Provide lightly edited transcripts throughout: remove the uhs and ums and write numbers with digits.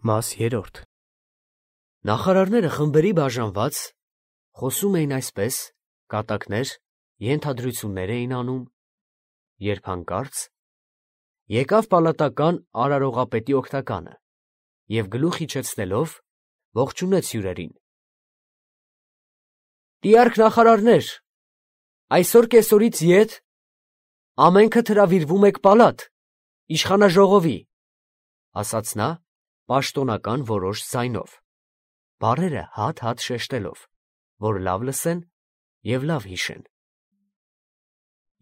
Մաս 3 Նախարարները խմբերի բաժանված խոսում էին այսպես, կատակներ, ենթադրություններ էին անում, երբ հանկարծ եկավ պալատական արարողապետի օգնականը և գլուխ իջեցնելով ողջունեց հյուրերին. «Տիարք նախարարներ, այսօր կեսօրից ետ ամենքդ հրավիրվում եք պալատ, իշխանաժողովի», ասաց նա պաշտոնական որոշ ձայնով, բառերը հատ-հատ շեշտելով, որ լավ լսեն և լավ հիշեն։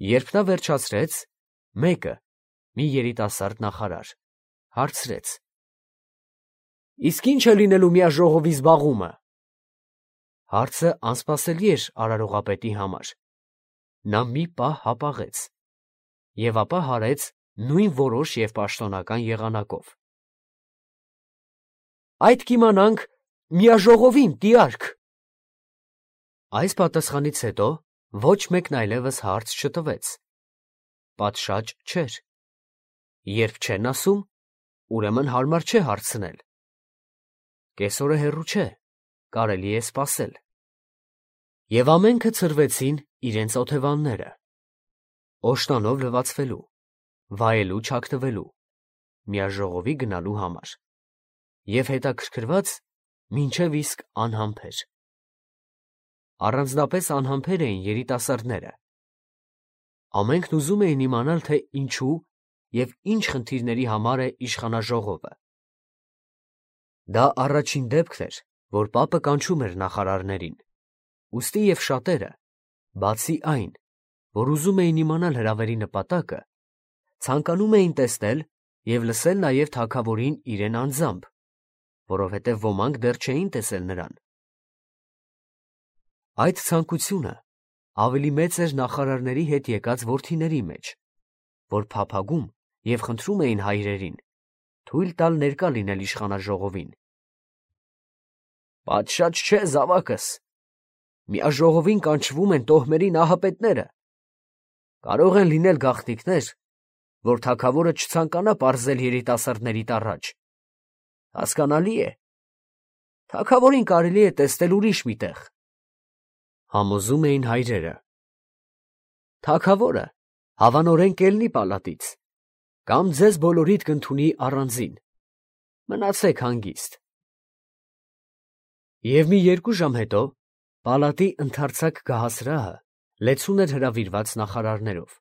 Երբ նա վերջացրեց, մեկը, մի երիտասարդ նախարար, հարցրեց. «Իսկ ի՞նչ է լինելու միաժողովի զբաղումը»։ Հարցը անսպասելի էր արարողապետի համար։ Նա մի պահ հապաղեց և ապա հարեց նույն որոշ և պաշտոնական եղանակով. «Այդ կիմանանք միաժողովին, տիարք»։ Այս պատասխանից հետո ոչ մեկն այլևս հարց չտվեց։ Պատշաճ չէր։ Երբ չեն ասում, ուրեմն հարմար չէ հարցնել։ Կեսօրը հեռու չէ, կարելի է սպասել։ Եվ ամենքը ցրվեցին իրենց օթևանները, օշտանով լվացվելու, վայելու չագտվելու, միաժողովի գնալու համար, և հետաքրքրված մինչև իսկ անհամբեր։ Առանձնապես անհամբեր էին երիտասարդները։ Ամենքն ուզում էին իմանալ, թե ինչու և ինչ խնդիրների համար է իշխանաժողովը։ Դա առաջին դեպքն էր, որ պապը կանչում էր նախարարներին, ուստի և շատերը, բացի այն, որ ուզում էին իմանալ հրավերի նպատակը, ցանկանում էին տեսնել և լսել նաև թագավորին իրեն անձամբ, որովհետև ոմանք դեռ չէին տեսել նրան։ Այդ ցանկությունը ավելի մեծ էր նախարարների հետ եկած որդիների մեջ, որ փափագում և խնդրում էին հայրերին թույլ տալ ներկա լինել իշխանաժողովին։ «Պատշաճ չէ, զավակս, միաժողովին կանչվում են տոհմերի նահապետները։ Կարող են լինել գաղտնիքներ, որ թագավորը չցանկանա պարզել երիտասարդներիդ առաջ։ Հասկանալի է, թագավորին կարելի է տեսնել ուրիշ մի տեղ», համոզում էին հայրերը։ Թագավորը հավանորեն կելնի պալատից, կամ ձեզ բոլորիդ կընդունի առանձին, մնացեք հանգիստ։ Եվ մի 2 ժամ հետո պալատի ընդարձակ գահասրահը լեցուն էր հրավիրված նախարարներով։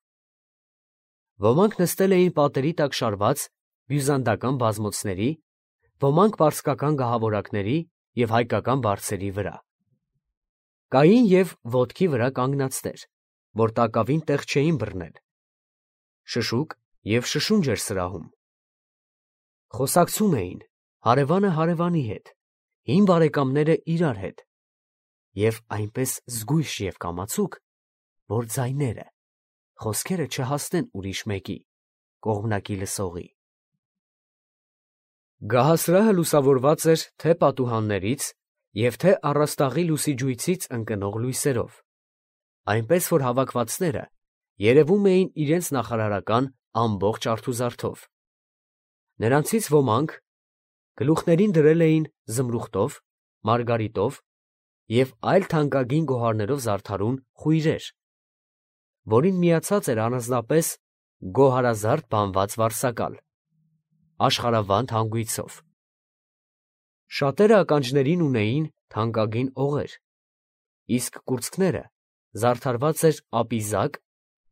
Ոմանք նստել էին պատերի տակ շարված բյուզանդական բազմոցների, ոմանք պարսկական գահավորակների և հայկական բարձերի վրա։ Կային և ոտքի վրա կանգնածներ, որ տակավին տեղ չէին բռնել։ Շշուկ և շշունջ էր սրահում։ Խոսակցում էին հարևանը հարևանի հետ, հին բարեկամները իրար հետ, և այնպես զգույշ և կամացուկ, որ ձայները, խոսքերը չհասնեն ուրիշ մեկի, կողմնակի լսողի։ Գահասրահը լուսավորված էր թե պատուհաններից և թե առաստաղի լուսիջույցից ընկնող լույսերով, այնպես որ հավաքվածները երևում էին իրենց նախարարական ամբողջ արթուզարդով։ Նրանցից ոմանք գլուխներին դրել էին զմրուխտով, մարգարիտով և այլ թանկագին գոհարներով զարդարուն խույրեր, որին միացած էր առանձնապես գոհարազարդ բանված վարսակալ, աշխարհավանդ հանգույցով։ Շատերը ականջներին ունեին թանկագին օղեր, իսկ կուրծքները զարդարված էր ապիզակ,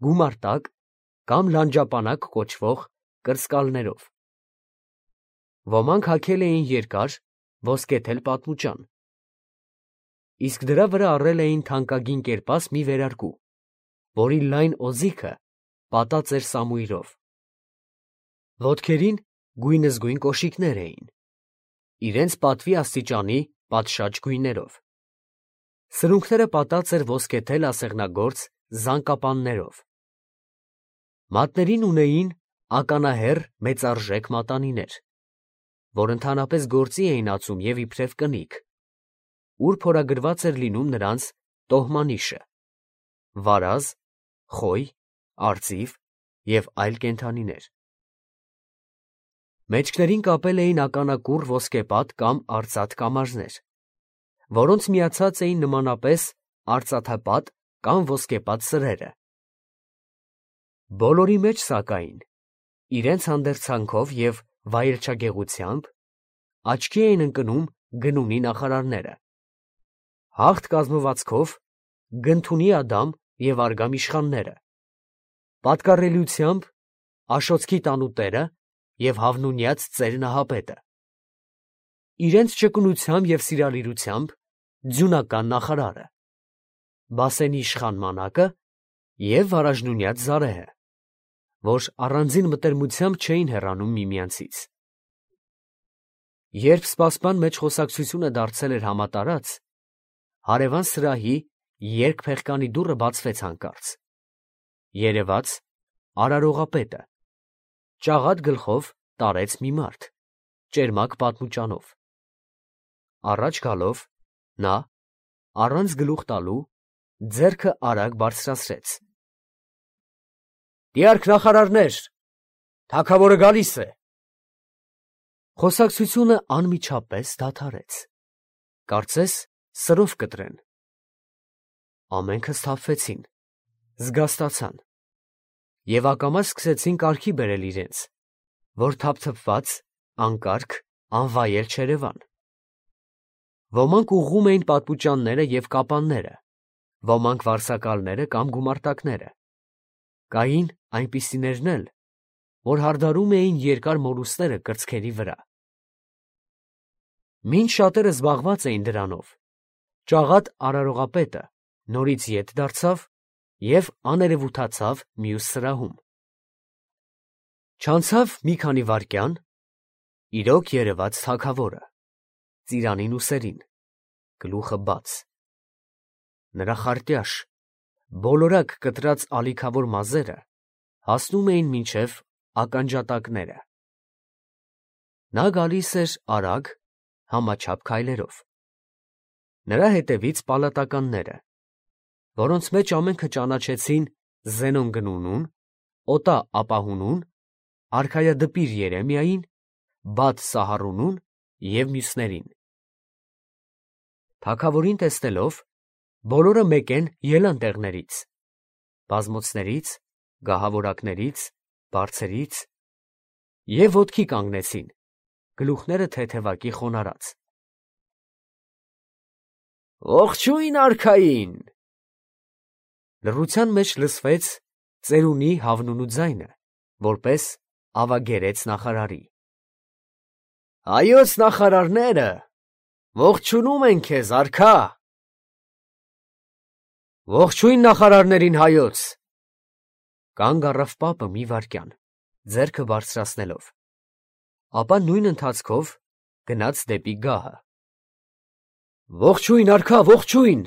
գումարտակ կամ լանջապանակ կոչվող կրծկալներով։ Ոմանք հագել էին երկար, ոսկեթել պատմուճան, իսկ դրա վրա առել էին թանկագին կերպաս մի վերարկու, որի լայն օձիքը պատած էր սամույրով։ Ոտքերին գույնզգույն կոշիկներ էին, իրենց պատվի աստիճանի պատշաճ գույներով։ Սրունքները պատած էր ոսկեթել ասեղնագործ զանկապաններով։ Մատներին ունեին ականահեռ մեծարժեք մատանիներ, որ ընդհանրապես գործի էին ածում և իբրև կնիկ, ուր փորագրված էր լինում նրանց տոհմանիշը, վարազ, խոյ, արծիվ և այլ կենդանիներ։ Մեջքներին կապել էին ականակուռ ոսկեպատ կամ արծաթ կամարներ, որոնց միացած էին նմանապես արծաթապատ կամ ոսկեպատ սրերը։ Բոլորի մեջ, սակայն, իրենց հանդերձանքով և վայելչագեղությամբ աչքի էին ընկնում գնունի նախարարները, հաղթ կազմվածքով Գնթունի Ադամ և Արգամ իշխանները, պատկառելիությամբ Աշոցքի տանուտերը և հավնունյաց ծեր Նահապետը, իրենց ճկունությամբ և սիրալիրությամբ ձյունական նախարարը, Բասենի իշխան Մանակը և Վարաժնունյաց Զարեհը, որ առանձին մտերմությամբ չէին հեռանում միմյանցից։ Երբ սպասման մեջ խոսակցությունը դարձել էր համատարած, հարևան սրահի երկփեղկանի դուռը բացվեց հանկարծ։ Երևաց արարողապետը, ճաղատ գլխով տարեց մի մարդ, ճերմակ պատմուճանով։ Առաջ գալով, նա, առանց գլուխ տալու, ձեռքը արագ բարձրացրեց։ «Տիարք նախարարներ, թագավորը գալիս է»։ Խոսակցությունը անմիջապես դադարեց, կարծես սրով կտրեն։ Ամենքը սթափվեցին, զգաստացան և ակամա սկսեցին կարգի բերել իրենց, որ թափթփված, անկարգ, անվայել չերևան։ Ոմանք ուղղում էին պատմուճանները և կապանները, ոմանք վարսակալները կամ գումարտակները, կային այնպիսիներն էլ, որ հարդարում էին երկար մորուսները կրծքերի վրա։ Մինչ շատերը զբաղված էին դրանով, ճաղատ արարողապետը նորից ետ դարձավ և աներևութացավ մյուս սրահում։ Չանցավ մի քանի վայրկյան, իրոք երևաց թագավորը, ծիրանին ուսերին, գլուխը բաց։ Նրա խարտյաշ, բոլորակ կտրած ալիքավոր մազերը հասնում էին մինչև ականջատակները։ Նա գալիս էր արագ, համաչափ քայլերով։ Նրա հետևից պալատականները, որոնց մեջ ամենքը ճանաչեցին Զենոն Գնունուն, Օտա Ապահունուն, արքայադպիր Երեմիային, Բաթ Սահարունուն և մյուսներին։ Թագավորին տեսնելով, բոլորը մեկեն ելան տեղներից, բազմոցներից, գահավորակներից, բարձերից և ոտքի կանգնեցին, գլուխները թեթևակի խոնարհած։ «Ողջույն արքային»։ Լռության մեջ լսվեց ծերունի հավնունու ձայնը, որպես ավագերեց նախարարի։ «Հայոց նախարարները ողջունում են քեզ, արքա»։ «Ողջույն նախարարներին հայոց»։ Կանգ առավ պապը մի վայրկյան, ձեռքը բարձրացնելով, ապա նույն ընթացքով գնաց դեպի գահը։ «Ողջույն, արքա, ողջույն,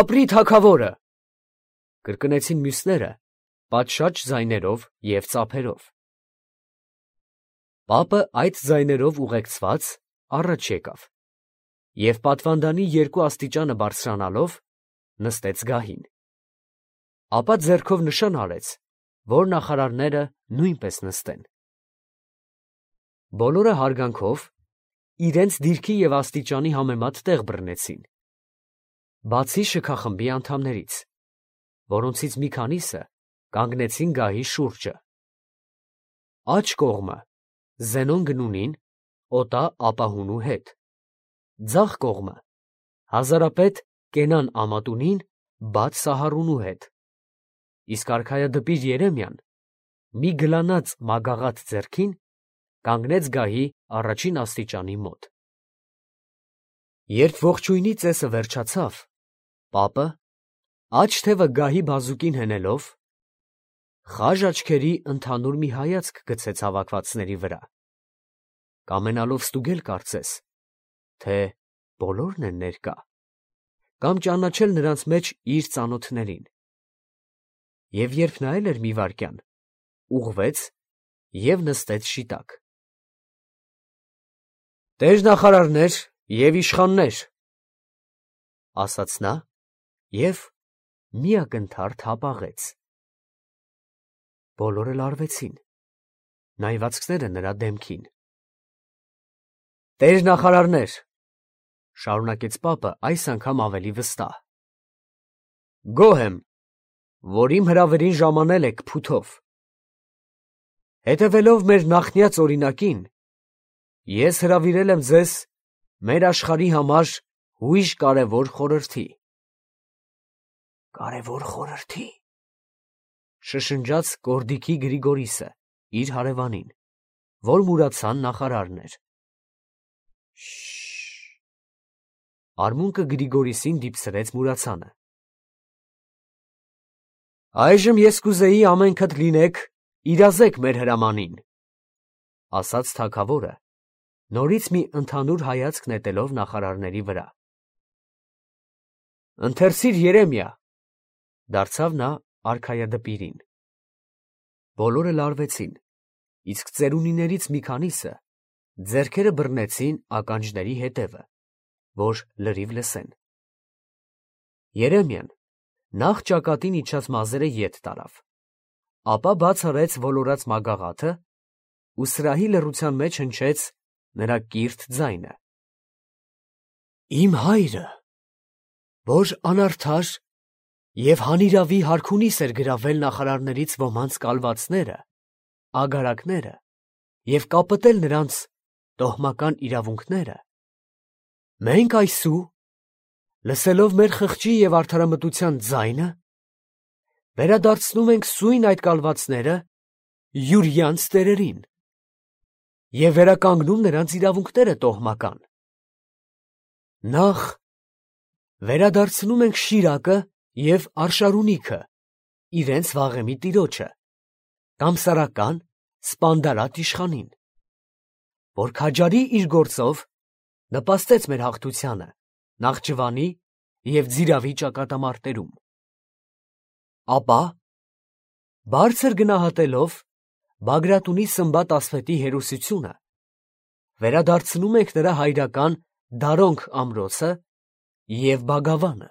ապրի թագավորը»։ Կրկնեցին մյուսները պատշաճ ձայներով և ծափերով։ Պապը այդ ձայներով ուղեկցված առաջ եկավ և պատվանդանի երկու աստիճանը բարձրանալով նստեց գահին, ապա ձեռքով նշան արեց, որ նախարարները նույնպես նստեն։ Բոլորը հարգանքով իրենց դիրքի և աստիճանի համեմատ տեղ բռնեցին, բացի շքախմբի անդամներից, որոնցից մի քանիսը կանգնեցին գահի շուրջը։ Աջ կողմը Զենոն Գնունին, Օտա Ապահունու հետ, ձախ կողմը հազարապետ Կենան Ամատունին, Բաթ Սահարունու հետ, իսկ արքայադպիր Երեմիան մի գլանած մագաղաթ ձեռքին կանգնեց գահի առաջին աստիճանի մոտ։ Երբ ողջույնի ծեսը վերջացավ, պապը, աջ թևը գահի բազուկին հենելով, խաժ աչքերի ընդհանուր մի հայացք գցեց հավաքվածների վրա, կամենալով ստուգել կարծես, թե բոլորն են ներկա, կամ ճանաչել նրանց մեջ իր ծանոթներին, և երբ նայել էր մի վայրկյան, ուղղվեց և նստեց շիտակ։ «Տեր֊նախարարներ և իշխաններ», ասաց նա և մի ակնթարթ հապաղեց։ Բոլորը լարվեցին, նայվածքները նրա դեմքին։ Տեր նախարարներ, շարունակեց պապը այս անգամ ավելի վստահ. գոհ եմ, որ իմ հրավերին ժամանել եք փութով։ Հետևելով մեր նախնյաց օրինակին, ես հրավիրել եմ ձեզ մեր աշխարհի համար հույժ կարևոր խորհրդի։ Կարևոր խորհրդի, շշնջաց Կորդիկի Գրիգորիսը իր հարևանին, որ մուրացան նախարարն էր։ Շշշ։ Արմունկը Գրիգորիսին դիպսրեց մուրացանը։ Այժմ ես կուզեի ամենքդ լինեք իրազեկ մեր հրամանին, ասաց թագավորը, նորից մի ընդհանուր հայացք նետելով նախարարների վրա։ Ընթերցիր Երեմիա, դարձավ նա արքայադպիրին։ Բոլորը լարվեցին, իսկ ծերունիներից մի քանիսը ձեռքերը բռնեցին ականջների հետևը, որ լրիվ լսեն։ Երեմիան նախ ճակատին իջած մազերը ետ տարավ, ապա բաց արեց ոլորած մագաղաթը ու սրահի լռության մեջ հնչեց նրա կիրթ ձայնը. Իմ հայրը, որ անարդար և հանիրավի հարքունիս էր գրավել նախարարներից ոմանց կալվածները, ագարակները և կապտել նրանց տոհմական իրավունքները, մենք այսու, լսելով մեր խղճի և արդարամտության ձայնը, վերադարձնում ենք սույն այդ կալվածները յուրյանց տերերին և վերականգնում նրանց իրավունքները տոհմական։ Նախ վերադարձնում ենք Շիրակը և Արշարունիքը իրենց վաղեմի տիրոջը, Կամսարական Սպանդարատ իշխանին, որ քաջարի իր գործով նպաստեց մեր հաղթությանը Նախճիվանի և Ձիրավի ճակատամարտերում։ Ապա, բարձր գնահատելով Բագրատունի Սմբատ Ասվետի հերոսությունը, վերադարձնում ենք նրա հայրական Դարոնք ամրոցը և Բագավանը։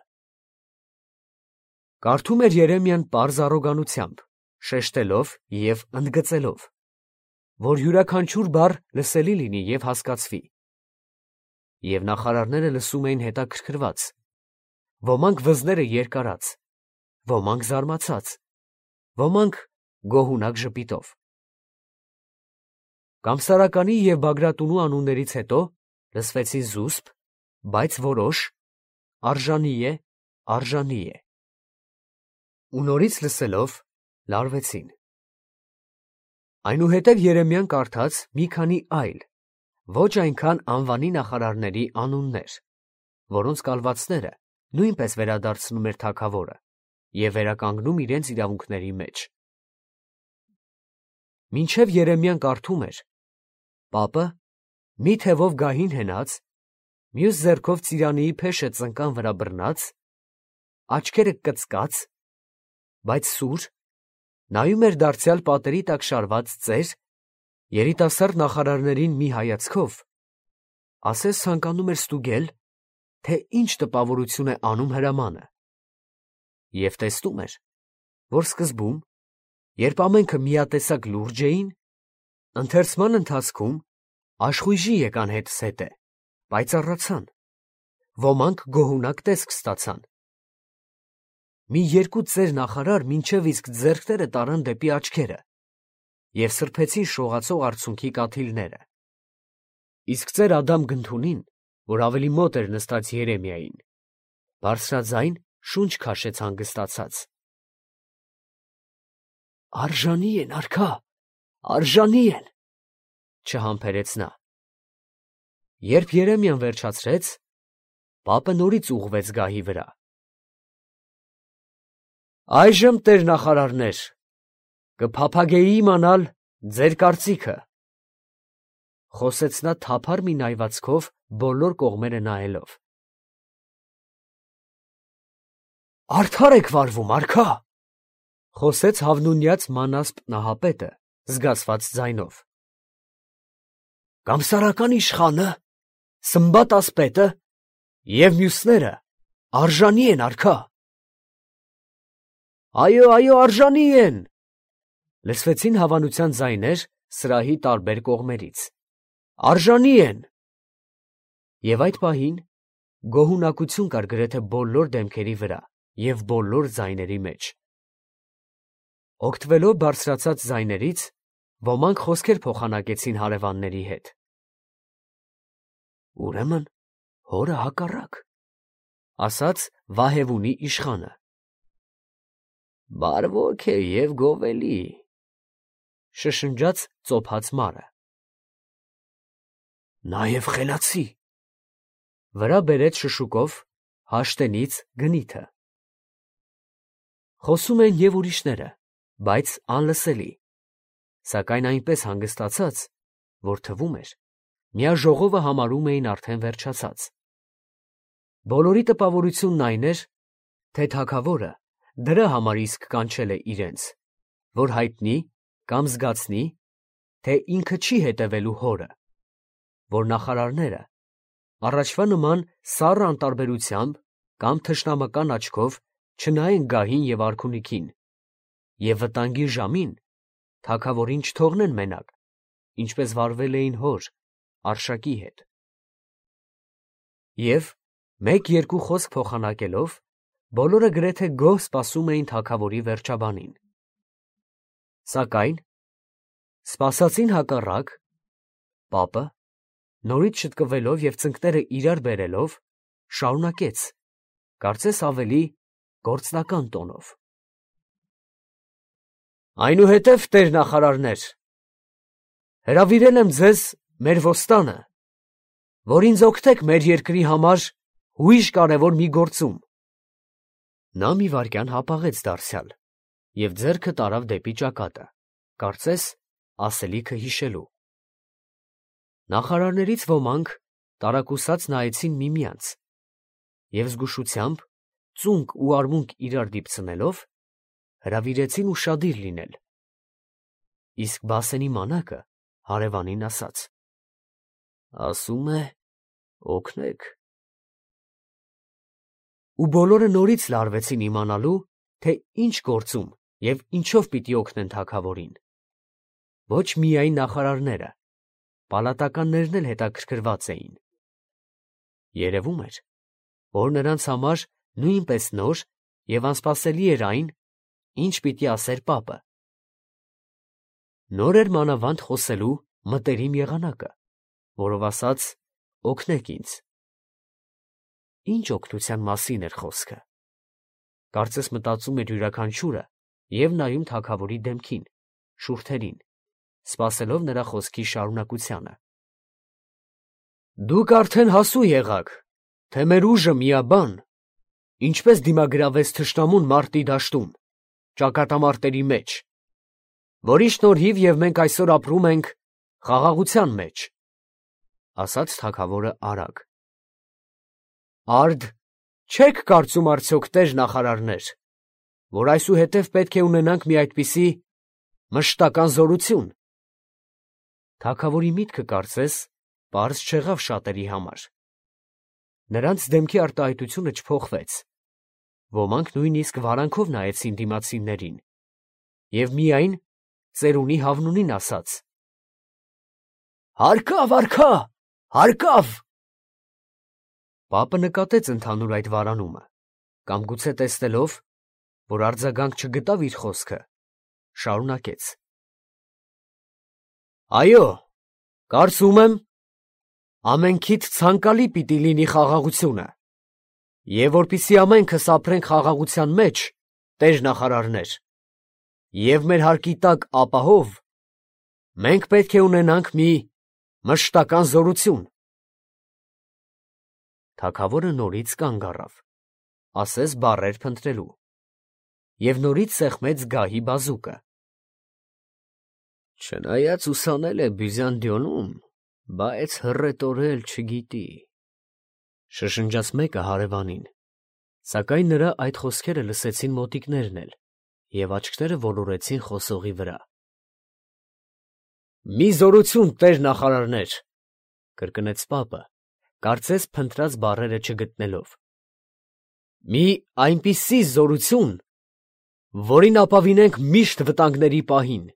Կարդում էր Երեմիան պարզ առոգանությամբ, շեշտելով և ընդգծելով, որ յուրաքանչյուր բառ լսելի լինի և հասկացվի։ Եվ նախարարները լսում էին հետաքրքրված, ոմանք վզները երկարած, ոմանք զարմացած, ոմանք գոհունակ ժպիտով։ Կամսարականի և Բագրատունու անուններից հետո լսվեցին զուսպ, բայց որոշ, արժանի է, արժանի է։ Ու նորից լսելով լարվեցին։ Այնուհետև Երեմիան կարդաց մի քանի այլ, ոչ այնքան անվանի նախարարների անուններ, որոնց կալվածները նույնպես վերադարձնում էր թագավորը և վերականգնում իրենց իրավունքների մեջ։ Մինչև Երեմիան կարդում էր, պապը, մի թևով գահին հենած, մյուս ձեռքով ծիրանիի փեշը ծնկան վրա բռնած, աչքերը կծկած, բայց սուր, նայում էր դարձյալ պատերի տակ շարված ծեր, երիտասարդ նախարարներին մի հայացքով, ասես ցանկանում էր ստուգել, թե ինչ տպավորություն է անում հրամանը, և տեսնում էր, որ սկզբում, երբ ամենքը միատեսակ լուրջ էին, ընթերցման ընթացքում աշխույժի եկան հետզհետե, պայծառացան, ոմանք գոհունակ տեսք ստացան։ Մի երկու ծեր նախարար մինչև իսկ ձեռքները տարան դեպի աչքերը և սրբեցին շողացող արցունքի կաթիլները։ Իսկ ծեր Ադամ Գնթունին, որ ավելի մոտ էր նստած Երեմիային, բարձրաձայն շունչ քաշեց հանգստացած։ Արժանի են, արքա, արժանի են, չհամբերեց նա։ Երբ Երեմիան վերջացրեց, պապը նորից ուղղվեց գահի վրա։ Այժմ, տեր նախարարներ, կփափագեի իմանալ ձեր կարծիքը, խոսեց նա թափառ մի նայվածքով բոլոր կողմերը նայելով։ Արդար եք վարվում, արքա, խոսեց հավնունյաց Մանասպ նահապետը զգացված ձայնով։ Կամսարական իշխանը, Սմբատ ասպետը և մյուսները արժանի են, արքա։ Այո, այո, արժանի են, լսվեցին հավանության ձայներ սրահի տարբեր կողմերից։ Արժանի են, Եվ այդ պահին գոհունակություն կար գրեթե բոլոր դեմքերի վրա և բոլոր ձայների մեջ։ Օգտվելով բարձրացած ձայներից, ոմանք խոսքեր փոխանակեցին հարևանների հետ։ Ուրեմն հորը հակառակ, ասաց Վահևունի իշխանը։ Բարվոք է և գովելի, շշնջաց ծոփած մարը։ Նաև խելացի, վրա բերեց շշուկով Հաշտենից Գնիթը։ Խոսում էին և ուրիշները, բայց անլսելի, սակայն այնպես հանգստացած, որ թվում էր, միաժողովը համարում էին արդեն վերջացած։ Բոլորի տպավորությունն այն էր, թե թագավորը դրա համար իսկ կանչել է իրենց, որ հայտնի կամ զգացնի, թե ինքը չի հետևելու հորը, որ նախարարները առաջվա նման սառը անտարբերությամբ կամ թշնամական աչքով չնայեն գահին և արքունիքին և վտանգի ժամին թագավորին չթողնեն մենակ, ինչպես վարվել էին հոր Արշակի հետ։ Եվ մեկ-երկու խոսք փոխանակելով, բոլորը գրեթե գոհ սպասում էին թագավորի վերջաբանին։ Սակայն, սպասածին հակառակ, պապը, նորից շտկվելով և ծնկները իրար բերելով, շարունակեց, կարծես ավելի գործնական տոնով. Այնուհետև, տեր նախարարներ, հրավիրել եմ ձեզ մեր ոստանը, որ ինձ օգնեք մեր երկրի համար ուրիշ կարևոր մի գործում։ Նա մի վայրկյան հապաղեց դարձյալ և ձեռքը տարավ դեպի ճակատը, կարծես ասելիքը հիշելու։ Նախարարներից ոմանք տարակուսած նայեցին միմյանց և զգուշությամբ, ծունկ ու արմունկ իրար դիպցնելով, հրավիրեցին ուշադիր լինել, իսկ Բասենի մանակը հարևանին ասաց. ասում է օգնեք։ Ու բոլորը նորից լարվեցին իմանալու, թե ինչ գործում և ինչով պիտի օգնեն թագավորին։ Ոչ միայն նախարարները, պալատականներն էլ հետաքրքրված էին։ Երևում էր, որ նրանց համար նույնպես նոր և անսպասելի էր այն, ինչ պիտի ասեր պապը։ Նոր էր մանավանդ խոսելու մտերիմ եղանակը, որով ասաց. օգնեք ինձ։ Ինչ օգնության մասին էր խոսքը, կարծես մտածում էր յուրաքանչյուրը և նայում թագավորի դեմքին, շուրթերին, սպասելով նրա խոսքի շարունակությանը։ Դուք արդեն հասու եղաք, թե մեր ուժը միաբան, ինչպես դիմագրավեց թշնամուն մարտի դաշտում, ճակատամարտերի մեջ, որի շնորհիվ և մենք այսօր ապրում ենք խաղաղության մեջ, ասաց թագավորը արագ։ Արդ չեք կարծում արդյոք, տեր նախարարներ, որ այսուհետև պետք է ունենանք մի այդպիսի մշտական զորություն։ Թագավորի միտքը կարծես պարզ չեղավ շատերի համար։ Նրանց դեմքի արտահայտությունը չփոխվեց, ոմանք նույնիսկ վարանքով նայեցին դիմացիններին և միայն ծերունի Հավնունին ասաց. Հարկավ, արքա, հարկավ։ Պապը նկատեց ընդհանուր այդ վարանումը, կամ գուցե տեսնելով, որ արձագանք չգտավ իր խոսքը, շարունակեց. Այո, կարծում եմ, ամենքիդ ցանկալի պիտի լինի խաղաղությունը, և որպեսզի ամենքս ապրենք խաղաղության մեջ, տեր նախարարներ, և մեր հարկի տակ ապահով, մենք պետք է ունենանք մի մշտական զորություն։ Թագավորը նորից կանգ առավ, ասես բառեր փնտրելու, և նորից սեղմեց գահի բազուկը։ Չնայած ուսանել է Բյուզանդիոնում, բայց հռետորել չգիտի, շշնջաց մեկը հարևանին, սակայն նրա այդ խոսքերը լսեցին մոտիկներն էլ, և աչքները ոլորեցին խոսողի վրա։ Մի զորություն, տեր նախարարներ, կրկնեց պապը, կարծես փնտրած բառերը չգտնելով։ Մի այնպիսի զորություն, որին ապավինենք միշտ վտանգների պահին։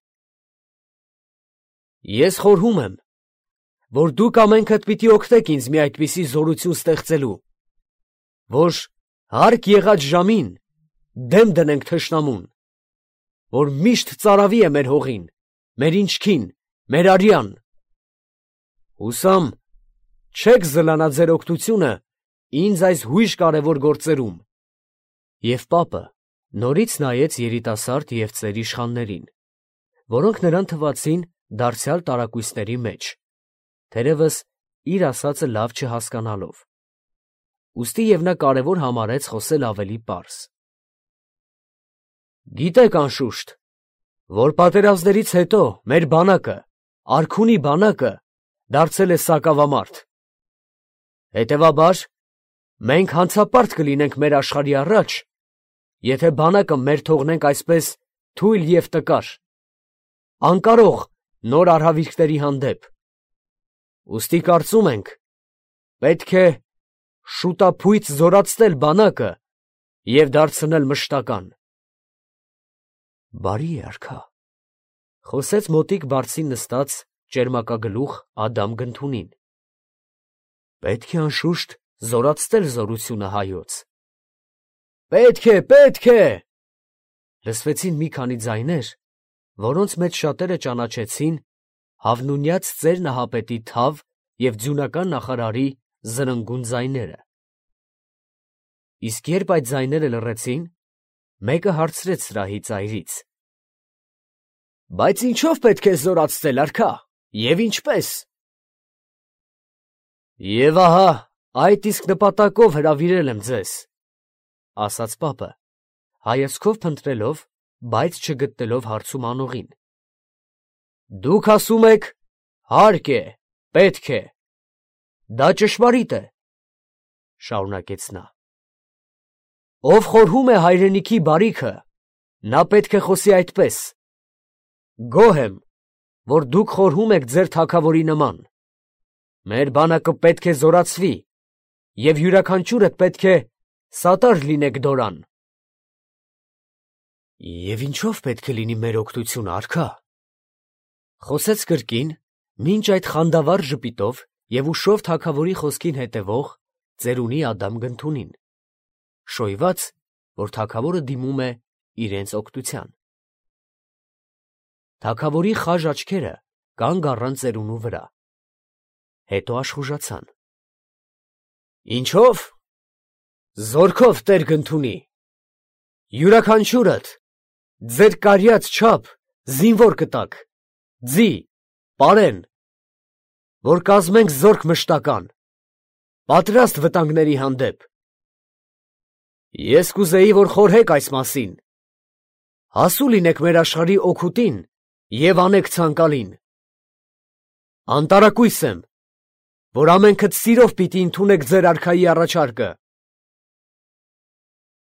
Ես խորհում եմ, որ դուք ամենքդ պիտի օգնեք ինձ մի այդպիսի զորություն ստեղծելու, որ հարկ եղած ժամին դեմ դնենք թշնամուն, որ միշտ ծարավի է մեր հողին, մեր ինչքին, մեր արյան։ Հուսամ, չեք զլանա ձեր օգնությունը ինձ այս հույժ կարևոր գործերում։ Եվ պապը նորից նայեց երիտասարդ և ծեր իշխաններին, որոնք նրան թվացին դարձյալ տարակույսների մեջ, թերևս իր ասածը լավ չհասկանալով։ Ուստի և նա կարևոր համարեց խոսել ավելի պարզ. Գիտեք անշուշտ, որ պատերազմներից հետո մեր բանակը, արքունի բանակը, դարձել է սակավամարդ։ Հետևաբար, մենք հանցապարտ կլինենք մեր աշխարհի առաջ, եթե բանակը մեր թողնենք այսպես թույլ և տկար, անկարող նոր արհավիրքների հանդեպ։ Ուստի կարծում ենք, պետք է շուտափույթ զորացնել բանակը և դարձնել մշտական։ Բարի է արքա, խոսեց մոտիկ բարձին նստած ճերմակագլուխ Ադամ Գնթունին։ Պետք է անշուշտ զորացնել զորությունը հայոց։ Պետք է, լսվեցին մի քանի ձայներ, որոնց մեջ շատերը ճանաչեցին Հավնունյաց ծեր Նահապետի թավ և ձյունական նախարարի զրնգուն ձայները։ Իսկ երբ այդ ձայները լռեցին, մեկը հարցրեց սրահի ծայրից. Բայց ինչո՞վ պետք է զորացնել արքա, և ինչպես։ Եվ ահա այդ իսկ նպատակով հրավիրել եմ ձեզ, ասաց պապը, հայացքով փնտրելով, բայց չգտնելով հարցում անողին։ Դուք ասում եք, հարկ է, պետք է, դա ճշմարիտ է, շարունակեց նա։ Ով խորհում է հայրենիքի բարիքը, նա պետք է խոսի այդպես. Գոհ եմ, որ դուք խորհում եք ձեր թագավորի նման։ Մեր բանակը պետք է զորացվի, և յուրաքանչյուրդ պետք է սատար լինեք դորան։ Եվ ինչով պետք է լինի մեր օգնությունը, արքա, խոսեց կրկին, մինչ այդ խանդավառ ժպիտով և ուշով թագավորի խոսքին հետևող ծերունի Ադամ Գնթունին, շոյված, որ թագավորը դիմում է իրենց օգնության։ Թագավորի խաժ աչքերը կանգ առան ծերունու վրա, հետո աշխուժացան։ Ինչով։ Զորքով, տեր Գնթունի, յուրաքանչյուրդ ձեր կարյաց չափ զինվոր կտաք, ձի, պարեն, որ կազմենք զորք մշտական, պատրաստ վտանգների հանդեպ։ Ես կուզեի, որ խորհեք այս մասին, հասու լինեք մեր աշխարհի օգուտին և անեք ցանկալին։ Անտարակույս եմ, որ ամենքդ սիրով պիտի ընդունեք ձեր արքայի առաջարկը։